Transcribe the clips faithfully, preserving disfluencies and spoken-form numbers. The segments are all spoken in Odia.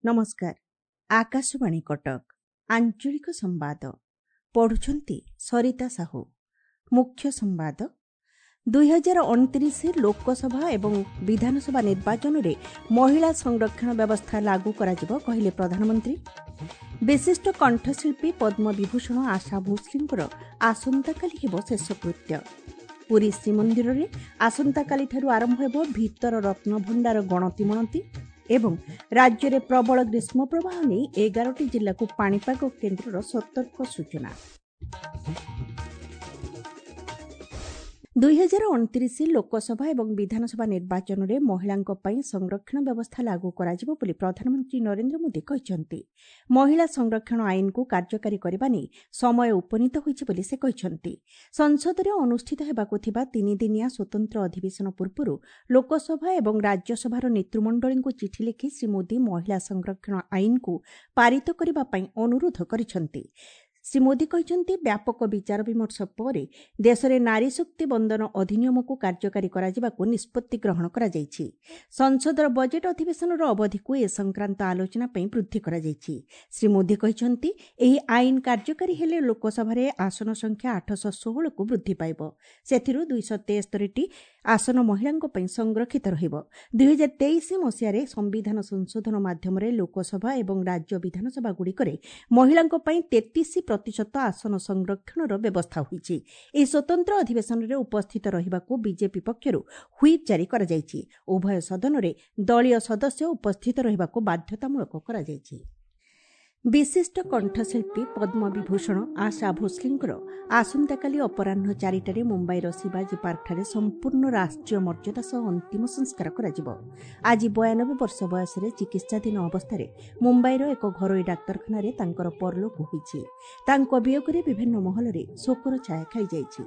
ନମସ୍କାର, ଆକାଶବାଣୀ କଟକ, ଆଞ୍ଚଳିକ ସମ୍ବାଦ ପଢୁଛନ୍ତି ସରିତା ସାହୁ। ମୁଖ୍ୟ ସମ୍ବାଦ। ଦୁଇହଜାର ଅଣତିରିଶ ଲୋକସଭା ଏବଂ ବିଧାନସଭା ନିର୍ବାଚନରେ ମହିଳା ସଂରକ୍ଷଣ ବ୍ୟବସ୍ଥା ଲାଗୁ କରାଯିବ, କହିଲେ ପ୍ରଧାନମନ୍ତ୍ରୀ। ବିଶିଷ୍ଟ କଣ୍ଠଶିଳ୍ପୀ ପଦ୍ମବିଭୂଷଣ ଆଶା ଭୋସ୍ଲେଙ୍କର ଆସନ୍ତାକାଲି ହେବ ଶେଷକୃତ୍ୟ। ପୁରୀ ଶ୍ରୀମନ୍ଦିରରେ ଆସନ୍ତାକାଲିଠାରୁ ଆରମ୍ଭ ହେବ ଭିତର ରତ୍ନଭଣ୍ଡାର ଗଣତି ମଣତି ଏବଂ ରାଜ୍ୟରେ ପ୍ରବଳ ଗ୍ରୀଷ୍ମପ୍ରବାହ ନେଇ ଏଗାରଟି ଜିଲ୍ଲାକୁ ପାଣିପାଗ କେନ୍ଦ୍ରର ସତର୍କ ସୂଚନା। ଦୁଇହଜାର ଅଣତିରିଶ ଲୋକସଭା ଏବଂ ବିଧାନସଭା ନିର୍ବାଚନରେ ମହିଳାଙ୍କ ପାଇଁ ସଂରକ୍ଷଣ ବ୍ୟବସ୍ଥା ଲାଗୁ କରାଯିବ ବୋଲି ପ୍ରଧାନମନ୍ତ୍ରୀ ନରେନ୍ଦ୍ର ମୋଦି କହିଛନ୍ତି। ମହିଳା ସଂରକ୍ଷଣ ଆଇନକୁ କାର୍ଯ୍ୟକାରୀ କରିବା ନେଇ ସମୟ ଉପନୀତ ହୋଇଛି ବୋଲି ସେ କହିଛନ୍ତି। ସଂସଦରେ ଅନୁଷ୍ଠିତ ହେବାକୁ ଥିବା ତିନିଦିନିଆ ସ୍ୱତନ୍ତ୍ର ଅଧିବେଶନ ପୂର୍ବରୁ ଲୋକସଭା ଏବଂ ରାଜ୍ୟସଭାର ନେତୃମଣ୍ଡଳୀଙ୍କୁ ଚିଠି ଲେଖି ଶ୍ରୀ ମୋଦି ମହିଳା ସଂରକ୍ଷଣ ଆଇନକୁ ପାରିତ କରିବା ପାଇଁ ଅନୁରୋଧ କରିଛନ୍ତି। ଶ୍ରୀ ମୋଦି କହିଛନ୍ତି, ବ୍ୟାପକ ବିଚାର ବିମର୍ଶ ପରେ ଦେଶରେ ନାରୀ ଶକ୍ତି ବନ୍ଦନ ଅଧିନିୟମକୁ କାର୍ଯ୍ୟକାରୀ କରାଯିବାକୁ ନିଷ୍ପତ୍ତି ଗ୍ରହଣ କରାଯାଇଛି। ସଂସଦର ବଜେଟ୍ ଅଧିବେଶନର ଅବଧିକୁ ଏ ସଂକ୍ରାନ୍ତ ଆଲୋଚନା ପାଇଁ ବୃଦ୍ଧି କରାଯାଇଛି। ଶ୍ରୀ ମୋଦି କହିଛନ୍ତି, ଏହି ଆଇନ କାର୍ଯ୍ୟକାରୀ ହେଲେ ଲୋକସଭାରେ ଆସନ ସଂଖ୍ୟା ଆଠଶହ ଷୋହଳକୁ ବୃଦ୍ଧି ପାଇବ। ସେଥିରୁ ଦୁଇଶହ ତେସ୍ତରୀଟି ଆସନ ମହିଳାଙ୍କ ପାଇଁ ସଂରକ୍ଷିତ ରହିବ। ଦୁଇହଜାର ତେଇଶ ମସିହାରେ ସମ୍ବିଧାନ ସଂଶୋଧନ ମାଧ୍ୟମରେ ଲୋକସଭା ଏବଂ ରାଜ୍ୟ ବିଧାନସଭାଗୁଡ଼ିକରେ ମହିଳାଙ୍କ ପାଇଁ ତେତିଶ ପ୍ରତିଶତ ଆସନ ସଂରକ୍ଷଣର ବ୍ୟବସ୍ଥା ହୋଇଛି। ଏହି ସ୍ୱତନ୍ତ୍ର ଅଧିବେଶନରେ ଉପସ୍ଥିତ ରହିବାକୁ ବିଜେପି ପକ୍ଷରୁ ହ୍ୱିପ୍ ଜାରି କରାଯାଇଛି। ଉଭୟ ସଦନରେ ଦଳୀୟ ସଦସ୍ୟ ଉପସ୍ଥିତ ରହିବାକୁ ବାଧ୍ୟତାମୂଳକ କରାଯାଇଛି। ବିଶିଷ୍ଟ କଣ୍ଠଶିଳ୍ପୀ ପଦ୍ମବିଭୂଷଣ ଆଶା ଭୋସ୍ଲେଙ୍କର ଆସନ୍ତାକାଲି ଅପରାହ୍ନ ଚାରିଟାରେ ମୁମ୍ବାଇର ଶିବାଜୀ ପାର୍କଠାରେ ସମ୍ପୂର୍ଣ୍ଣ ରାଷ୍ଟ୍ରୀୟ ମର୍ଯ୍ୟାଦା ସହ ଅନ୍ତିମ ସଂସ୍କାର କରାଯିବ। ଆଜି ବୟାନବେ ବର୍ଷ ବୟସରେ ଚିକିତ୍ସାଧୀନ ଅବସ୍ଥାରେ ମୁମ୍ବାଇର ଏକ ଘରୋଇ ଡାକ୍ତରଖାନାରେ ତାଙ୍କର ପରଲୋକ ହୋଇଛି। ତାଙ୍କ ବିୟୋଗରେ ବିଭିନ୍ନ ମହଲରେ ଶୋକର ଛାୟା ଖେଳିଯାଇଛି।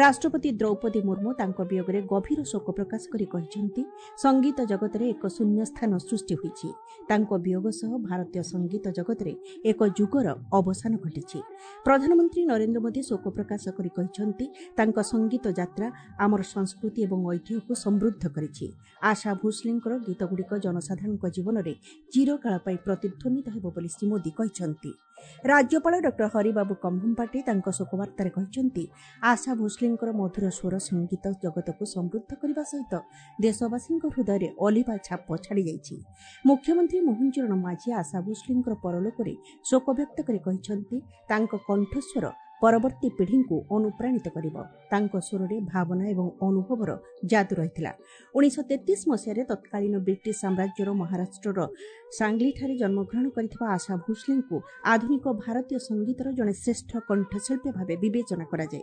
ରାଷ୍ଟ୍ରପତି ଦ୍ରୌପଦୀ ମୁର୍ମୁ ତାଙ୍କ ବିୟୋଗରେ ଗଭୀର ଶୋକ ପ୍ରକାଶ କରି କହିଛନ୍ତି, ସଙ୍ଗୀତ ଜଗତରେ ଏକ ଶୂନ୍ୟସ୍ଥାନ ସୃଷ୍ଟି ହୋଇଛି। ତାଙ୍କ ବିୟୋଗ ସହ ଭାରତୀୟ ସଙ୍ଗୀତ ଜଗତରେ ଏକ ଯୁଗର ଅବସାନ ଘଟିଛି। ପ୍ରଧାନମନ୍ତ୍ରୀ ନରେନ୍ଦ୍ର ମୋଦି ଶୋକ ପ୍ରକାଶ କରି କହିଛନ୍ତି, ତାଙ୍କ ସଙ୍ଗୀତ ଯାତ୍ରା ଆମର ସଂସ୍କୃତି ଏବଂ ଐତିହ୍ୟକୁ ସମୃଦ୍ଧ କରିଛି। ଆଶା ଭୋସ୍ଲେଙ୍କର ଗୀତଗୁଡ଼ିକ ଜନସାଧାରଣଙ୍କ ଜୀବନରେ ଚିରକାଳ ପାଇଁ ପ୍ରତିଧ୍ୱନିତ ହେବ ବୋଲି ଶ୍ରୀ ମୋଦି କହିଛନ୍ତି। ରାଜ୍ୟପାଳ ଡକ୍ଟର ହରିବାବୁ କମ୍ଭମପାଟି ତାଙ୍କ ଶୋକବାର୍ତ୍ତାରେ କହିଛନ୍ତି, ଆଶା ଭୋସ୍ଲେଙ୍କର ମଧୁର ସ୍ୱର ସଙ୍ଗୀତ ଜଗତକୁ ସମୃଦ୍ଧ କରିବା ସହିତ ଦେଶବାସୀଙ୍କ ହୃଦୟରେ ଅଲିଭା ଛାପ ଛାଡ଼ିଯାଇଛି। ମୁଖ୍ୟମନ୍ତ୍ରୀ ମୋହନ ଚରଣ ମାଝୀ ଆଶା ଭୋସ୍ଲେଙ୍କର ପରଲୋକରେ ଶୋକ ବ୍ୟକ୍ତ କରି କହିଛନ୍ତି, ତାଙ୍କ କଣ୍ଠସ୍ୱର ପରବର୍ତ୍ତୀ ପିଢ଼ିଙ୍କୁ ଅନୁପ୍ରାଣିତ କରିବ। ତାଙ୍କ ସ୍ୱରରେ ଭାବନା ଏବଂ ଅନୁଭବର ଯାଦୁ ରହିଥିଲା। ଉଣେଇଶହ ତେତିଶ ମସିହାରେ ତତ୍କାଳୀନ ବ୍ରିଟିଶ ସାମ୍ରାଜ୍ୟର ମହାରାଷ୍ଟ୍ରର ସାଙ୍ଗଲିଠାରେ ଜନ୍ମଗ୍ରହଣ କରିଥିବା ଆଶା ଭୋସ୍ଲେଙ୍କୁ ଆଧୁନିକ ଭାରତୀୟ ସଙ୍ଗୀତର ଜଣେ ଶ୍ରେଷ୍ଠ କଣ୍ଠଶିଳ୍ପୀ ଭାବେ ବିବେଚନା କରାଯାଏ।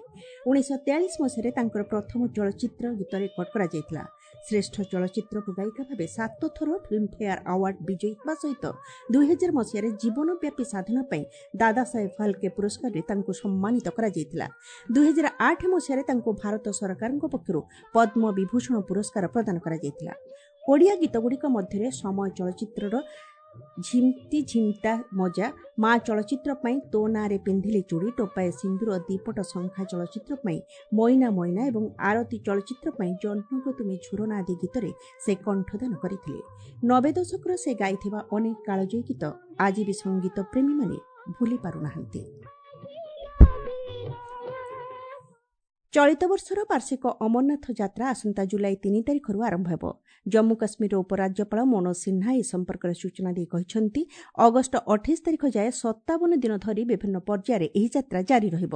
ଉଣେଇଶହ ତେୟାଳିଶ ମସିହାରେ ତାଙ୍କର ପ୍ରଥମ ଚଳଚ୍ଚିତ୍ର ଗୀତ ରେକର୍ଡ କରାଯାଇଥିଲା। ଶ୍ରେଷ୍ଠ ଚଳଚ୍ଚିତ୍ର ଗାୟିକା ଭାବେ ସାତ ଥର ଫିଲ୍ମଫେୟାର ଆୱାର୍ଡ ବିଜୟୀ ହେବା ସହିତ ଦୁଇହଜାର ମସିହାରେ ଜୀବନବ୍ୟାପୀ ସାଧନା ପାଇଁ ଦାଦାସାହେବ ଫାଲ୍କେ ପୁରସ୍କାରରେ ତାଙ୍କୁ ସମ୍ମାନିତ କରାଯାଇଥିଲା। ଦୁଇହଜାର ଆଠ ମସିହାରେ ତାଙ୍କୁ ଭାରତ ସରକାରଙ୍କ ପକ୍ଷରୁ ପଦ୍ମ ବିଭୂଷଣ ପୁରସ୍କାର ପ୍ରଦାନ କରାଯାଇଥିଲା। ଓଡ଼ିଆ ଗୀତଗୁଡ଼ିକ ମଧ୍ୟରେ ସମୟ ଚଳଚ୍ଚିତ୍ରର ଝିମ୍ତି ଝିମ୍ତା ମଜା, ମା ଚଳଚ୍ଚିତ୍ର ପାଇଁ ତୋ ନାଁରେ ପିନ୍ଧିଲି ଚୁଡ଼ି, ଟୋପାଏ ସିନ୍ଦୁର, ଦିପଟ ଶଙ୍ଖା ଚଳଚ୍ଚିତ୍ର ପାଇଁ ମଇନା ମଇନା ଏବଂ ଆରତୀ ଚଳଚ୍ଚିତ୍ର ପାଇଁ ଜହ୍ନକୁ ତୁମେ ଝୁରନା ଆଦି ଗୀତରେ ସେ କଣ୍ଠଦାନ କରିଥିଲେ। ନବେ ଦଶକର ସେ ଗାଇଥିବା ଅନେକ କାଳଜୟୀ ଗୀତ ଆଜି ବି ସଙ୍ଗୀତ ପ୍ରେମୀମାନେ ଭୁଲି ପାରୁନାହାନ୍ତି। ଚଳିତ ବର୍ଷର ବାର୍ଷିକ ଅମରନାଥ ଯାତ୍ରା ଆସନ୍ତା ଜୁଲାଇ ତିନି ତାରିଖରୁ ଆରମ୍ଭ ହେବ। ଜମ୍ମୁ କାଶ୍ମୀରର ଉପରାଜ୍ୟପାଳ ମନୋଜ ସିହ୍ନା ଏ ସମ୍ପର୍କରେ ସୂଚନା ଦେଇ କହିଛନ୍ତି, ଅଗଷ୍ଟ ଅଠେଇଶ ତାରିଖ ଯାଏ ସତାବନ ଦିନ ଧରି ବିଭିନ୍ନ ପର୍ଯ୍ୟାୟରେ ଏହି ଯାତ୍ରା ଜାରି ରହିବ।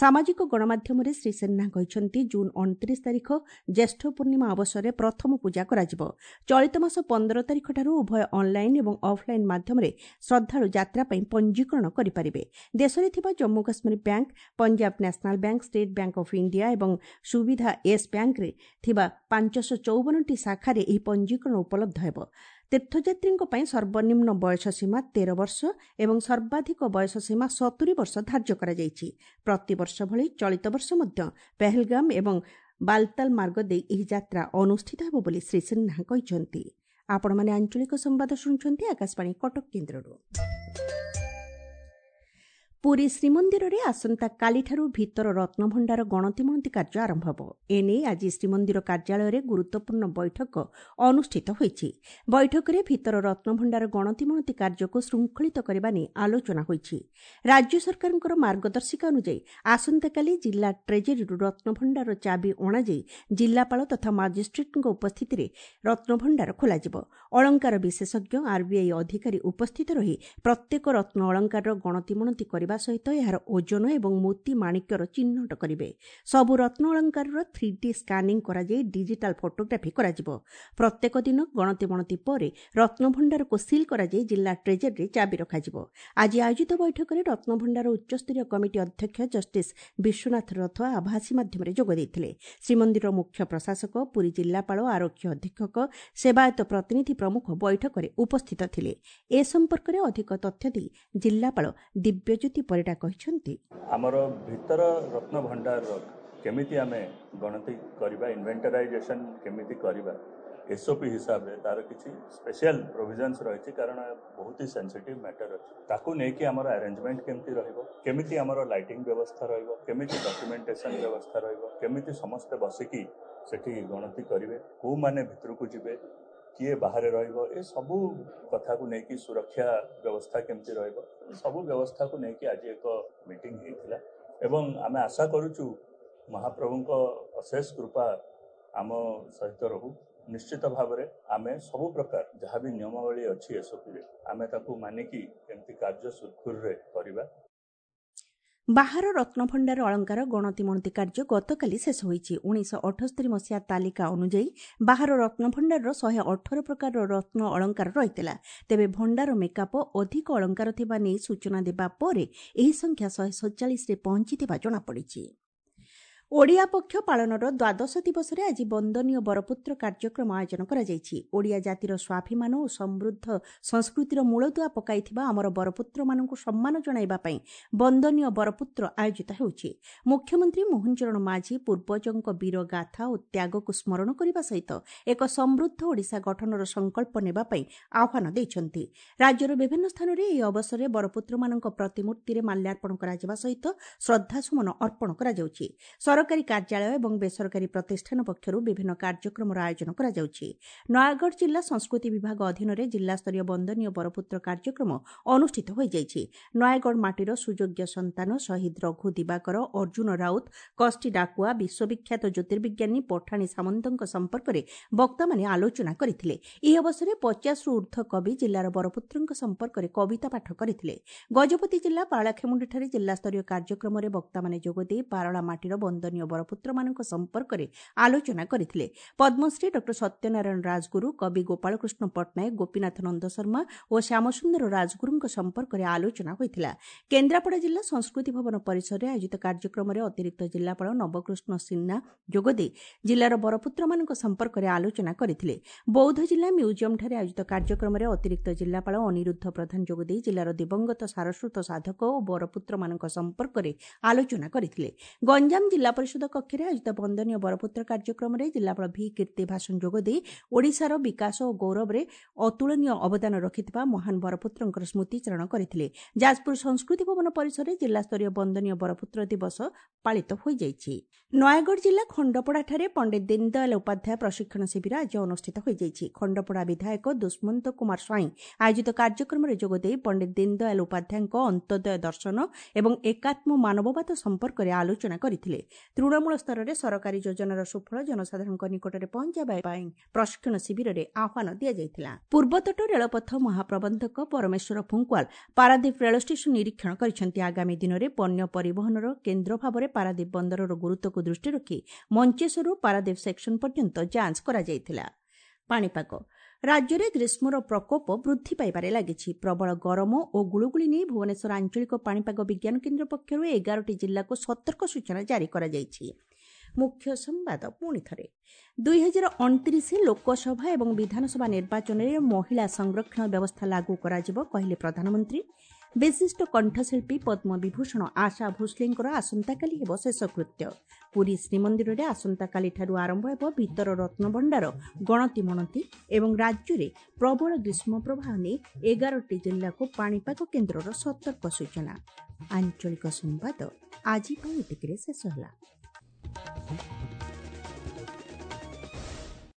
ସାମାଜିକ ଗଣମାଧ୍ୟମରେ ଶ୍ରୀ ସିହ୍ନା କହିଛନ୍ତି, ଜୁନ୍ ଅଣତିରିଶ ତାରିଖ ଜ୍ୟେଷ୍ଠ ପୂର୍ଣ୍ଣିମା ଅବସରରେ ପ୍ରଥମ ପୂଜା କରାଯିବ। ଚଳିତ ମାସ ପନ୍ଦର ତାରିଖଠାରୁ ଉଭୟ ଅନ୍ଲାଇନ୍ ଏବଂ ଅଫ୍ଲାଇନ୍ ମାଧ୍ୟମରେ ଶ୍ରଦ୍ଧାଳୁ ଯାତ୍ରା ପାଇଁ ପଞ୍ଜୀକରଣ କରିପାରିବେ। ଦେଶରେ ଥିବା Jammu Kashmir bank, Punjab national bank, state bank of India ଏବଂ ସୁବିଧା ୟେସ୍ ବ୍ୟାଙ୍କରେ ଥିବା ପାଞ୍ଚଶହ ଚଉବନଟି ଶାଖାରେ ଏହି ପଞ୍ଜୀକରଣ ଉପଲବ୍ଧ ହେବ। ତୀର୍ଥଯାତ୍ରୀଙ୍କ ପାଇଁ ସର୍ବନିମ୍ନ ବୟସ ସୀମା ତେର ବର୍ଷ ଏବଂ ସର୍ବାଧିକ ବୟସ ସୀମା ସତୁରି ବର୍ଷ ଧାର୍ଯ୍ୟ କରାଯାଇଛି। ପ୍ରତିବର୍ଷ ଭଳି ଚଳିତ ବର୍ଷ ମଧ୍ୟ ପେହେଲଗାମ ଏବଂ ବାଲତାଲ ମାର୍ଗ ଦେଇ ଏହି ଯାତ୍ରା ଅନୁଷ୍ଠିତ ହେବ ବୋଲି ଶ୍ରୀ ସିହ୍ନା କହିଛନ୍ତି। ଆପଣମାନେ ଆଞ୍ଚଳିକ ସମ୍ବାଦ ଶୁଣୁଛନ୍ତି ଆକାଶବାଣୀ କଟକ କେନ୍ଦ୍ରରୁ। ପୁରୀ ଶ୍ରୀମନ୍ଦିରରେ ଆସନ୍ତାକାଲିଠାରୁ ଭିତର ରତ୍ନଭଣ୍ଡାର ଗଣତିମଣତି କାର୍ଯ୍ୟ ଆରମ୍ଭ ହେବ। ଏନେଇ ଆଜି ଶ୍ରୀମନ୍ଦିର କାର୍ଯ୍ୟାଳୟରେ ଗୁରୁତ୍ୱପୂର୍ଣ୍ଣ ବୈଠକ ଅନୁଷ୍ଠିତ ହୋଇଛି। ବୈଠକରେ ଭିତର ରତ୍ନଭଣ୍ଡାର ଗଣତିମଣତି କାର୍ଯ୍ୟକୁ ଶୃଙ୍ଖଳିତ କରିବା ନେଇ ଆଲୋଚନା ହୋଇଛି। ରାଜ୍ୟ ସରକାରଙ୍କର ମାର୍ଗଦର୍ଶିକା ଅନୁଯାୟୀ ଆସନ୍ତାକାଲି ଜିଲ୍ଲା ଟ୍ରେଜେରୀରୁ ରତ୍ନଭଣ୍ଡାର ଚାବି ଅଣାଯାଇ ଜିଲ୍ଲାପାଳ ତଥା ମାଜିଷ୍ଟ୍ରେଟଙ୍କ ଉପସ୍ଥିତିରେ ରତ୍ନଭଣ୍ଡାର ଖୋଲାଯିବ। ଅଳଙ୍କାର ବିଶେଷଜ୍ଞ, ଆର୍ବିଆଇ ଅଧିକାରୀ ଉପସ୍ଥିତ ରହି ପ୍ରତ୍ୟେକ ରତ୍ନ ଅଳଙ୍କାରର ଗଣତିମଣତି କରିବା ସହିତ ଏହାର ଓଜନ ଏବଂ ମୋତି ମାଣିକ୍ୟର ଚିହ୍ନଟ କରିବେ। ସବୁ ରତ୍ନ ଅଳଙ୍କାରର ଥ୍ରୀ ଡି ସ୍କାନିଂ କରାଯାଇ ଡିଜିଟାଲ ଫଟୋଗ୍ରାଫି କରାଯିବ। ପ୍ରତ୍ୟେକ ଦିନ ଗଣତିମଣତି ପରେ ରତ୍ନଭଣ୍ଡାରକୁ ସିଲ୍ କରାଯାଇ ଜିଲ୍ଲା ଟ୍ରେଜେରୀରେ ଚାବି ରଖାଯିବ। ଆଜି ଆୟୋଜିତ ବୈଠକରେ ରତ୍ନଭଣ୍ଡାର ଉଚ୍ଚସ୍ତରୀୟ କମିଟି ଅଧ୍ୟକ୍ଷ ଜଷ୍ଟିସ୍ ବିଶ୍ୱନାଥ ରଥ ଆଭାସୀ ମାଧ୍ୟମରେ ଯୋଗ ଦେଇଥିଲେ। ଶ୍ରୀମନ୍ଦିର ମୁଖ୍ୟ ପ୍ରଶାସକ, ପୁରୀ ଜିଲ୍ଲାପାଳ, ଆରକ୍ଷୀ ଅଧୀକ୍ଷକ, ସେବାୟତ ପ୍ରତିନିଧି ପ୍ରମୁଖ ବୈଠକରେ ଉପସ୍ଥିତ ଥିଲେ। ଏ ସମ୍ପର୍କରେ ଅଧିକ ତଥ୍ୟ ଦେଇ ଜିଲ୍ଲାପାଳ ଦିବ୍ୟଜ୍ୟୋତି ପରିଡ଼ା କହିଛନ୍ତି, ଆମର ଭିତର ରତ୍ନ ଭଣ୍ଡାରର କେମିତି ଆମେ ଗଣତି କରିବା, ଇନଭେଣ୍ଟରାଇଜେସନ୍ କେମିତି କରିବା, ଏସ୍ଓପି ହିସାବରେ ତାର କିଛି ସ୍ପେଶିଆଲ ପ୍ରୋଭିଜନ୍ସ ରହିଛି, କାରଣ ବହୁତ ହି ସେନ୍ସିଟିଭ୍ ମ୍ୟାଟର ଅଛି। ତାକୁ ନେଇକି ଆମର ଆରେଞ୍ଜମେଣ୍ଟ କେମିତି ରହିବ, କେମିତି ଆମର ଲାଇଟିଂ ବ୍ୟବସ୍ଥା ରହିବ, କେମିତି ଡକ୍ୟୁମେଣ୍ଟେସନ୍ ବ୍ୟବସ୍ଥା ରହିବ, କେମିତି ସମସ୍ତେ ବସିକି ସେଠି ଗଣତି କରିବେ, କେଉଁମାନେ ଭିତରକୁ ଯିବେ, କିଏ ବାହାରେ ରହିବ, ଏ ସବୁ କଥାକୁ ନେଇକି ସୁରକ୍ଷା ବ୍ୟବସ୍ଥା କେମିତି ରହିବ, ସବୁ ବ୍ୟବସ୍ଥାକୁ ନେଇକି ଆଜି ଏକ ମିଟିଂ ହେଇଥିଲା। ଏବଂ ଆମେ ଆଶା କରୁଛୁ ମହାପ୍ରଭୁଙ୍କ ଅଶେଷ କୃପା ଆମ ସହିତ ରହୁ। ନିଶ୍ଚିତ ଭାବରେ ଆମେ ସବୁ ପ୍ରକାର ଯାହା ବି ନିୟମାବଳୀ ଅଛି ଏସ୍ଓପିରେ ଆମେ ତାକୁ ମାନିକି କେମିତି କାର୍ଯ୍ୟ ସୁରୁଖୁରୁରେ କରିବା। ବାହାର ରତ୍ନଭଣ୍ଡାର ଅଳଙ୍କାର ଗଣତିମଣତି କାର୍ଯ୍ୟ ଗତକାଲି ଶେଷ ହୋଇଛି। ଉଣେଇଶହ ଅଠସ୍ତରୀ ମସିହା ତାଲିକା ଅନୁଯାୟୀ ବାହାର ରତ୍ନଭଣ୍ଡାରର ଶହେ ଅଠର ପ୍ରକାରର ରତ୍ନ ଅଳଙ୍କାର ରହିଥିଲା। ତେବେ ଭଣ୍ଡାର ମେକାପ ଅଧିକ ଅଳଙ୍କାର ଥିବା ନେଇ ସୂଚନା ଦେବା ପରେ ଏହି ସଂଖ୍ୟା ଶହେ ସତଚାଳିଶରେ ପହଞ୍ଚିଥିବା ଜଣାପଡ଼ିଛି। ଓଡ଼ିଆ ପକ୍ଷ ପାଳନର ଦ୍ୱାଦଶ ଦିବସରେ ଆଜି ବନ୍ଦନୀୟ ବରପୁତ୍ର କାର୍ଯ୍ୟକ୍ରମ ଆୟୋଜନ କରାଯାଇଛି। ଓଡ଼ିଆ ଜାତିର ସ୍ୱାଭିମାନ ଓ ସମୃଦ୍ଧ ସଂସ୍କୃତିର ମୂଳଦୁଆ ପକାଇଥିବା ଆମର ବରପୁତ୍ରମାନଙ୍କୁ ସମ୍ମାନ ଜଣାଇବା ପାଇଁ ବନ୍ଦନୀୟ ବରପୁତ୍ର ଆୟୋଜିତ ହେଉଛି। ମୁଖ୍ୟମନ୍ତ୍ରୀ ମୋହନ ଚରଣ ମାଝୀ ପୂର୍ବଜଙ୍କ ବୀର ଗାଥା ଓ ତ୍ୟାଗକୁ ସ୍ମରଣ କରିବା ସହିତ ଏକ ସମୃଦ୍ଧ ଓଡ଼ିଶା ଗଠନର ସଂକଳ୍ପ ନେବା ପାଇଁ ଆହ୍ୱାନ ଦେଇଛନ୍ତି। ରାଜ୍ୟର ବିଭିନ୍ନ ସ୍ଥାନରେ ଏହି ଅବସରରେ ବରପୁତ୍ରମାନଙ୍କ ପ୍ରତିମୂର୍ତ୍ତିରେ ମାଲ୍ୟାର୍ପଣ କରାଯିବା ସହିତ ଶ୍ରଦ୍ଧାସୁମନ ଅର୍ପଣ କରାଯାଉଛି। ସରକାରୀ କାର୍ଯ୍ୟାଳୟ ଏବଂ ବେସରକାରୀ ପ୍ରତିଷ୍ଠାନ ପକ୍ଷରୁ ବିଭିନ୍ନ କାର୍ଯ୍ୟକ୍ରମର ଆୟୋଜନ କରାଯାଉଛି। ନୟାଗଡ଼ ଜିଲ୍ଲା ସଂସ୍କୃତି ବିଭାଗ ଅଧୀନରେ ଜିଲ୍ଲାସ୍ତରୀୟ ବନ୍ଦନୀୟ ବରପୁତ୍ର କାର୍ଯ୍ୟକ୍ରମ ଅନୁଷ୍ଠିତ ହୋଇଯାଇଛି। ନୟାଗଡ଼ ମାଟିର ସୁଯୋଗ୍ୟ ସନ୍ତାନ ଶହୀଦ ରଘୁ ଦିବାକର, ଅର୍ଜୁନ ରାଉତ, କଷ୍ଟି ଡାକୁଆ, ବିଶ୍ୱବିଖ୍ୟାତ ଜ୍ୟୋତିର୍ବିଜ୍ଞାନୀ ପଠାଣି ସାମନ୍ତଙ୍କ ସମ୍ପର୍କରେ ବକ୍ତାମାନେ ଆଲୋଚନା କରିଥିଲେ। ଏହି ଅବସରରେ ପଚାଶରୁ ଉର୍ଦ୍ଧ୍ୱ କବି ଜିଲ୍ଲାର ବରପୁତ୍ରଙ୍କ ସମ୍ପର୍କରେ କବିତା ପାଠ କରିଥିଲେ। ଗଜପତି ଜିଲ୍ଲା ପାରଳାଖେମୁଣ୍ଡିଠାରେ ଜିଲ୍ଲାସ୍ତରୀୟ କାର୍ଯ୍ୟକ୍ରମରେ ବକ୍ତାମାନେ ଯୋଗଦେଇ ପାରଳା ମାଟିର ବନ୍ଦନୀୟ ବରପୁତ୍ରମାନଙ୍କ ସମ୍ପର୍କରେ ଆଲୋଚନା କରିଥିଲେ। ପଦ୍ମଶ୍ରୀ ଡକ୍ଟର ସତ୍ୟନାରାୟଣ ରାଜଗୁରୁ, କବି ଗୋପାଳକୃଷ୍ଣ ପଟ୍ଟନାୟକ, ଗୋପୀନାଥ ନନ୍ଦ ଶର୍ମା ଓ ଶ୍ୟାମସୁନ୍ଦର ରାଜଗୁରୁଙ୍କ ସମ୍ପର୍କରେ ଆଲୋଚନା ହୋଇଥିଲା। କେନ୍ଦ୍ରାପଡ଼ା ଜିଲ୍ଲା ସଂସ୍କୃତି ଭବନ ପରିସରରେ ଆୟୋଜିତ କାର୍ଯ୍ୟକ୍ରମରେ ଅତିରିକ୍ତ ଜିଲ୍ଲାପାଳ ନବକୃଷ୍ଣ ସିହ୍ନା ଯୋଗଦେଇ ଜିଲ୍ଲାର ବରପୁତ୍ରମାନଙ୍କ ସମ୍ପର୍କରେ ଆଲୋଚନା କରିଥିଲେ। ବୌଦ୍ଧ ଜିଲ୍ଲା ମ୍ୟୁଜିୟମଠାରେ ଆୟୋଜିତ କାର୍ଯ୍ୟକ୍ରମରେ ଅତିରିକ୍ତ ଜିଲ୍ଲାପାଳ ଅନିରୁଦ୍ଧ ପ୍ରଧାନ ଯୋଗଦେଇ ଜିଲ୍ଲାର ଦିବଂଗତ ସାରସ୍ୱତ ସାଧକ ଓ ବରପୁତ୍ରମାନଙ୍କ ସମ୍ପର୍କରେ ଆଲୋଚନା କରିଥିଲେ। ଗଞ୍ଜାମ ଜିଲ୍ଲା ପରିଷଦ କକ୍ଷରେ ଆୟୋଜିତ ବନ୍ଦନୀୟ ବରପୁତ୍ର କାର୍ଯ୍ୟକ୍ରମରେ ଜିଲ୍ଲାପାଳ ଭି କୀର୍ତ୍ତି ଭାସନ ଯୋଗଦେଇ ଓଡ଼ିଶାର ବିକାଶ ଓ ଗୌରବରେ ଅତୁଳନୀୟ ଅବଦାନ ରଖିଥିବା ମହାନ ବରପୁତ୍ରଙ୍କର ସ୍ମୃତିଚାରଣ କରିଥିଲେ। ଯାଜପୁର ସଂସ୍କୃତି ଭବନ ପରିସରରେ ଜିଲ୍ଲାସ୍ତରୀୟ ବନ୍ଦନୀୟ ବରପୁତ୍ର ଦିବସ ପାଳିତ ହୋଇଯାଇଛି। ନୟାଗଡ଼ ଜିଲ୍ଲା ଖଣ୍ଡପଡ଼ାଠାରେ ପଣ୍ଡିତ ଦୀନଦୟାଲ ଉପାଧ୍ୟାୟ ପ୍ରଶିକ୍ଷଣ ଶିବିର ଆଜି ଅନୁଷ୍ଠିତ ହୋଇଯାଇଛି। ଖଣ୍ଡପଡ଼ା ବିଧାୟକ ଦୁଷ୍ମନ୍ତ କୁମାର ସ୍ୱାଇଁ ଆୟୋଜିତ କାର୍ଯ୍ୟକ୍ରମରେ ଯୋଗଦେଇ ପଣ୍ଡିତ ଦୀନଦୟାଲ ଉପାଧ୍ୟାୟଙ୍କ ଅନ୍ତୋଦୟ ଦର୍ଶନ ଏବଂ ଏକାତ୍ମ ମାନବବାଦ ସମ୍ପର୍କରେ ଆଲୋଚନା କରିଥିଲେ। ତୃଣମୂଳ ସ୍ତରରେ ସରକାରୀ ଯୋଜନାର ସୁଫଳ ଜନସାଧାରଣଙ୍କ ନିକଟରେ ପହଞ୍ଚାଇବା ପାଇଁ ପ୍ରଶିକ୍ଷଣ ଶିବିରରେ ଆହ୍ୱାନ ଦିଆଯାଇଥିଲା। ପୂର୍ବତଟ ରେଳପଥ ମହାପ୍ରବନ୍ଧକ ପରମେଶ୍ୱର ଫୁଙ୍କୁଆଲ ପାରାଦୀପ ରେଳ ଷ୍ଟେସନ ନିରୀକ୍ଷଣ କରିଛନ୍ତି। ଆଗାମୀ ଦିନରେ ପଣ୍ୟ ପରିବହନର କେନ୍ଦ୍ର ଭାବରେ ପାରାଦୀପ ବନ୍ଦରର ଗୁରୁତ୍ୱକୁ ଦୃଷ୍ଟିରେ ରଖି ମଞ୍ଚେଶ୍ୱରରୁ ପାରାଦୀପ ସେକ୍ସନ ପର୍ଯ୍ୟନ୍ତ ଯାଞ୍ଚ କରାଯାଇଥିଲା। ପାଣିପାଗ ରାଜ୍ୟରେ ଗ୍ରୀଷ୍ମର ପ୍ରକୋପ ବୃଦ୍ଧି ପାଇବାରେ ଲାଗିଛି। ପ୍ରବଳ ଗରମ ଓ ଗୁଳୁଗୁଳି ନେଇ ଭୁବନେଶ୍ୱର ଆଞ୍ଚଳିକ ପାଣିପାଗ ବିଜ୍ଞାନ କେନ୍ଦ୍ର ପକ୍ଷରୁ ଏଗାରଟି ଜିଲ୍ଲାକୁ ସତର୍କ ସୂଚନା ଜାରି କରାଯାଇଛି। ମୁଖ୍ୟ ସମ୍ବାଦ ପୁଣି ଥରେ, ଦୁଇହଜାର ଅଣତିରିଶ ଲୋକସଭା ଏବଂ ବିଧାନସଭା ନିର୍ବାଚନରେ ମହିଳା ସଂରକ୍ଷଣ ବ୍ୟବସ୍ଥା ଲାଗୁ କରାଯିବ କହିଲେ ପ୍ରଧାନମନ୍ତ୍ରୀ। ବିଶିଷ୍ଟ କଣ୍ଠଶିଳ୍ପୀ ପଦ୍ମବିଭୂଷଣ ଆଶା ଭୋସ୍ଲେଙ୍କର ଆସନ୍ତାକାଲି ହେବ ଶେଷକୃତ୍ୟ। ପୁରୀ ଶ୍ରୀମନ୍ଦିରରେ ଆସନ୍ତାକାଲିଠାରୁ ଆରମ୍ଭ ହେବ ଭିତର ରତ୍ନଭଣ୍ଡାର ଗଣତି ମଣତି। ଏବଂ ରାଜ୍ୟରେ ପ୍ରବଳ ଗ୍ରୀଷ୍ମ ପ୍ରବାହ ନେଇ ଏଗାରଟି ଜିଲ୍ଲାକୁ ପାଣିପାଗ କେନ୍ଦ୍ରର ସତର୍କ ସୂଚନା। ଆଞ୍ଚଳିକ ସମ୍ବାଦ ଆଜି ପାଇଁ ଏତିକିରେ ଶେଷ ହେଲା।